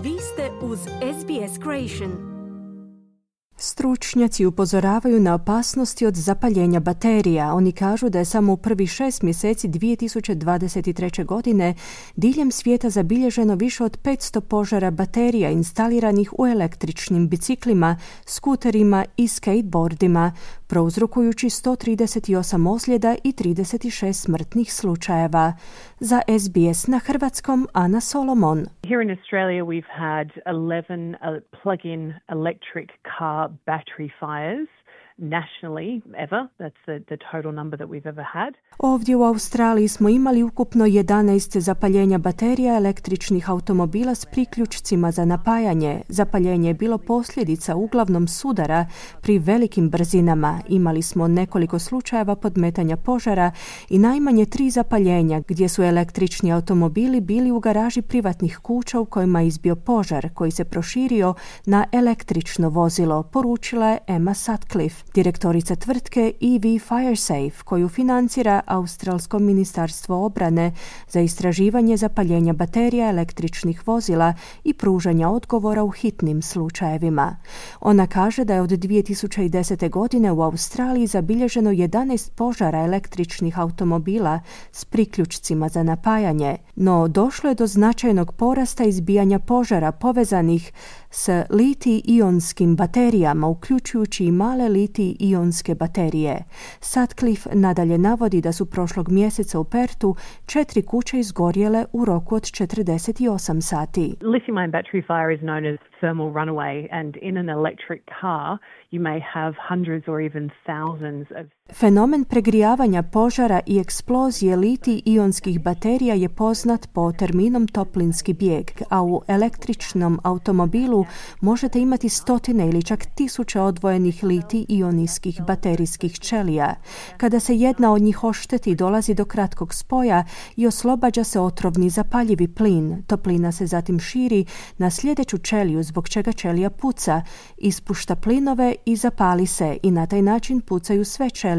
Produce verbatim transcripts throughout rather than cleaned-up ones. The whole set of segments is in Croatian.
Vi ste uz S B S Creation. Stručnjaci upozoravaju na opasnosti od zapaljenja baterija. Oni kažu da je samo u prvih šest mjeseci dvije tisuće dvadeset treće. godine diljem svijeta zabilježeno više od petsto požara baterija instaliranih u električnim biciklima, skuterima i skateboardima, prouzrokujući sto trideset osam ozljeda i trideset šest smrtnih slučajeva. Za S B S na hrvatskom, Ana Solomon. Here in Australia we've had eleven uh, plug-in electric car battery fires nationally ever. That's the, the total number that we've ever had. Ovdje u Australiji smo imali ukupno jedanaest zapaljenja baterija električnih automobila s priključcima za napajanje. Zapaljenje je bilo posljedica uglavnom sudara pri velikim brzinama. Imali smo nekoliko slučajeva podmetanja požara i najmanje tri zapaljenja gdje su električni automobili bili u garaži privatnih kuća u kojima je izbio požar koji se proširio na električno vozilo, poručila je Emma Sutcliffe, direktorica tvrtke E V Firesafe, koju financira Australsko ministarstvo obrane za istraživanje zapaljenja baterija električnih vozila i pružanja odgovora u hitnim slučajevima. Ona kaže da je od dvije tisuće desete. godine u Australiji zabilježeno jedanaest požara električnih automobila s priključcima za napajanje, no došlo je do značajnog porasta izbijanja požara povezanih s litij-ionskim baterijama, uključujući i male litij-ionske baterije. Sutcliffe nadalje navodi da su prošlog mjeseca u Pertu četiri kuće izgorjele u roku od četrdeset osam sati. Lithium-ion battery fire is known as thermal runaway, and in an electric car you may have hundreds or even thousands of. Fenomen pregrijavanja požara i eksplozije litij-ionskih baterija je poznat po terminom toplinski bijeg, a u električnom automobilu možete imati stotine ili čak tisuće odvojenih litij-ionskih baterijskih ćelija. Kada se jedna od njih ošteti, dolazi do kratkog spoja i oslobađa se otrovni zapaljivi plin. Toplina se zatim širi na sljedeću ćeliju, zbog čega ćelija puca, ispušta plinove i zapali se i na taj način pucaju sve ćelije,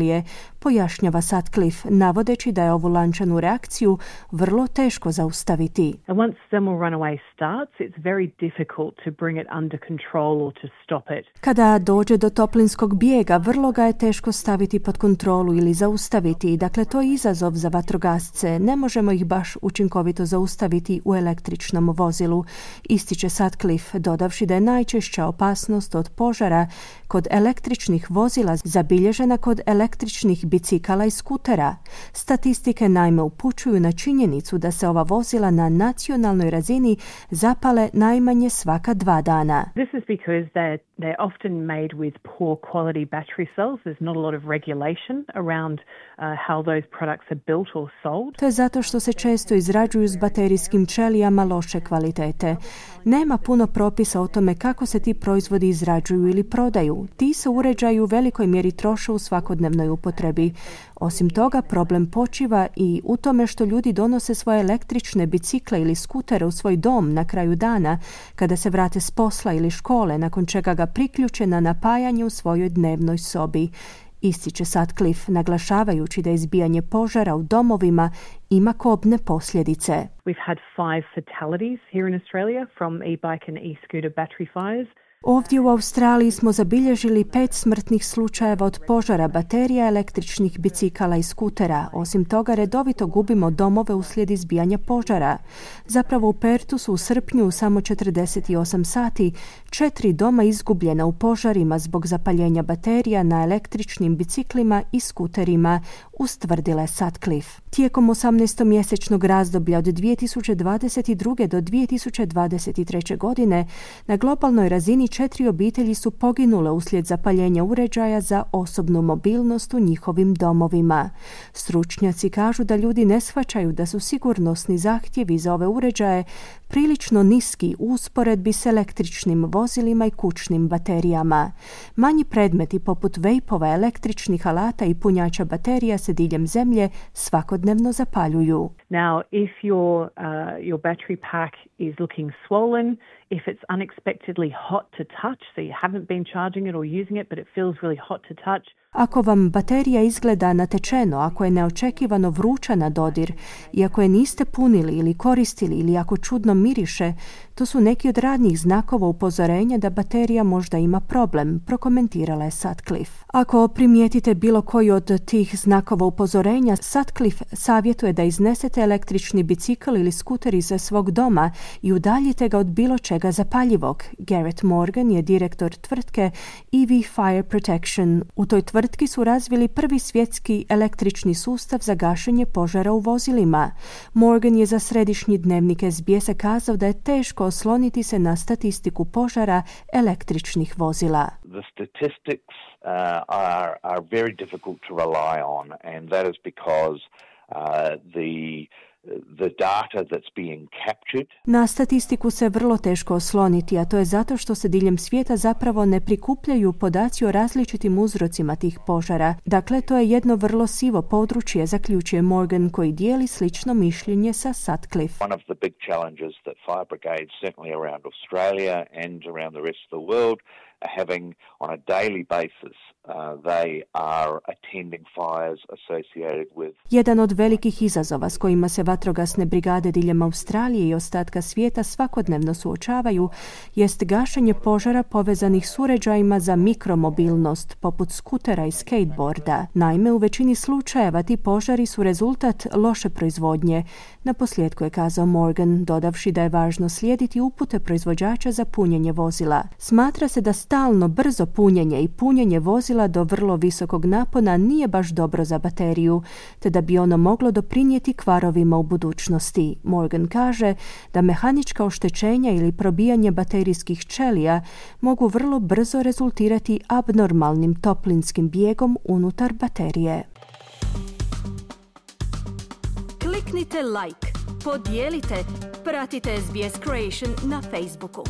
pojašnjava Sutcliffe, navodeći da je ovu lančanu reakciju vrlo teško zaustaviti. And once thermal runaway starts, it's very difficult to bring it under control or to stop it. Kada dođe do toplinskog bijega, vrlo ga je teško staviti pod kontrolu ili zaustaviti. Dakle, to je izazov za vatrogasce. Ne možemo ih baš učinkovito zaustaviti u električnom vozilu, ističe Sutcliffe, dodavši da je najčešća opasnost od požara kod električnih vozila zabilježena kod električnih bicikala i skutera. Statistike naime upućuju na činjenicu da se ova vozila na nacionalnoj razini zapale najmanje svaka dva dana. This is because they're, they're often made with poor quality battery cells. There's not a lot of regulation around uh, how those products are built or sold. To je zato što se često izrađuju s baterijskim ćelijama loše kvalitete. Nema puno propisa o tome kako se ti proizvodi izrađuju ili prodaju. Ti se uređaji u velikoj mjeri troše u svakodnevnoj upotrebi. Osim toga, problem počiva i u tome što ljudi donose svoje električne bicikle ili skutere u svoj dom na kraju dana, kada se vrate s posla ili škole, nakon čega ga priključe na napajanje u svojoj dnevnoj sobi. Ističe Sutcliffe, naglašavajući da izbijanje požara u domovima ima kobne posljedice. We've had five fatalities here in Australia from e-bike and e-scooter battery fires. Ovdje u Australiji smo zabilježili pet smrtnih slučajeva od požara baterija električnih bicikala i skutera. Osim toga, redovito gubimo domove uslijed izbijanja požara. Zapravo u Pertu su u srpnju u samo četrdeset osam sati četiri doma izgubljena u požarima zbog zapaljenja baterija na električnim biciklima i skuterima, ustvrdila Sutcliffe. Tijekom osamnaestomjesečnog razdoblja od dvije tisuće dvadeset druge. do dvije tisuće dvadeset treće. godine na globalnoj razini četiri obitelji su poginule uslijed zapaljenja uređaja za osobnu mobilnost u njihovim domovima. Stručnjaci kažu da ljudi ne shvaćaju da su sigurnosni zahtjevi za ove uređaje prilično niski u usporedbi s električnim vozilima i kućnim baterijama. Manji predmeti poput vejpova, električnih alata i punjača baterija se diljem zemlje svakodnevno zapaljuju. Now, if your uh, your battery pack is looking swollen, if it's unexpectedly hot to touch, so you haven't been charging it or using it, but it feels really hot to touch. Ako vam baterija izgleda natečeno, ako je neočekivano vruća na dodir i ako je niste punili ili koristili ili ako čudno miriše, to su neki od radnjih znakova upozorenja da baterija možda ima problem, prokomentirala je Sutcliffe. Ako primijetite bilo koji od tih znakova upozorenja, Sutcliffe savjetuje da iznesete električni bicikl ili skuter iz svog doma i udaljite ga od bilo čega zapaljivog. Garrett Morgan je direktor tvrtke E V Fire Protection. U toj tvrtki su razvili prvi svjetski električni sustav za gašenje požara u vozilima. Morgan je za središnji dnevnik S B S-a kazao da je teško osloniti se na statistiku požara električnih vozila. The statistics uh, are, are very difficult to rely on, and that is because uh, the the data that's being captured. Na statistiku se vrlo teško osloniti, a to je zato što se diljem svijeta zapravo ne prikupljaju podaci o različitim uzrocima tih požara. Dakle, to je jedno vrlo sivo područje, zaključuje Morgan, koji dijeli slično mišljenje sa Sutcliffe. One of the big challenges that fire brigades, certainly around Australia and around the rest of the world, are having on a daily basis. Uh, they are attending fires associated with. Jedan od velikih izazova s kojima se vatrogasne brigade diljem Australije i ostatka svijeta svakodnevno suočavaju jest gašenje požara povezanih s uređajima za mikromobilnost, poput skutera i skateboarda. Naime, u većini slučajeva ti požari su rezultat loše proizvodnje. Na posljedku je kazao Morgan, dodavši da je važno slijediti upute proizvođača za punjenje vozila. Smatra se da stalno brzo punjenje i punjenje vozila do vrlo visokog napona nije baš dobro za bateriju, te da bi ono moglo doprinijeti kvarovima u budućnosti. Morgan kaže da mehanička oštećenja ili probijanje baterijskih ćelija mogu vrlo brzo rezultirati abnormalnim toplinskim bijegom unutar baterije. Kliknite like, podijelite, pratite S B S Creation na Facebooku.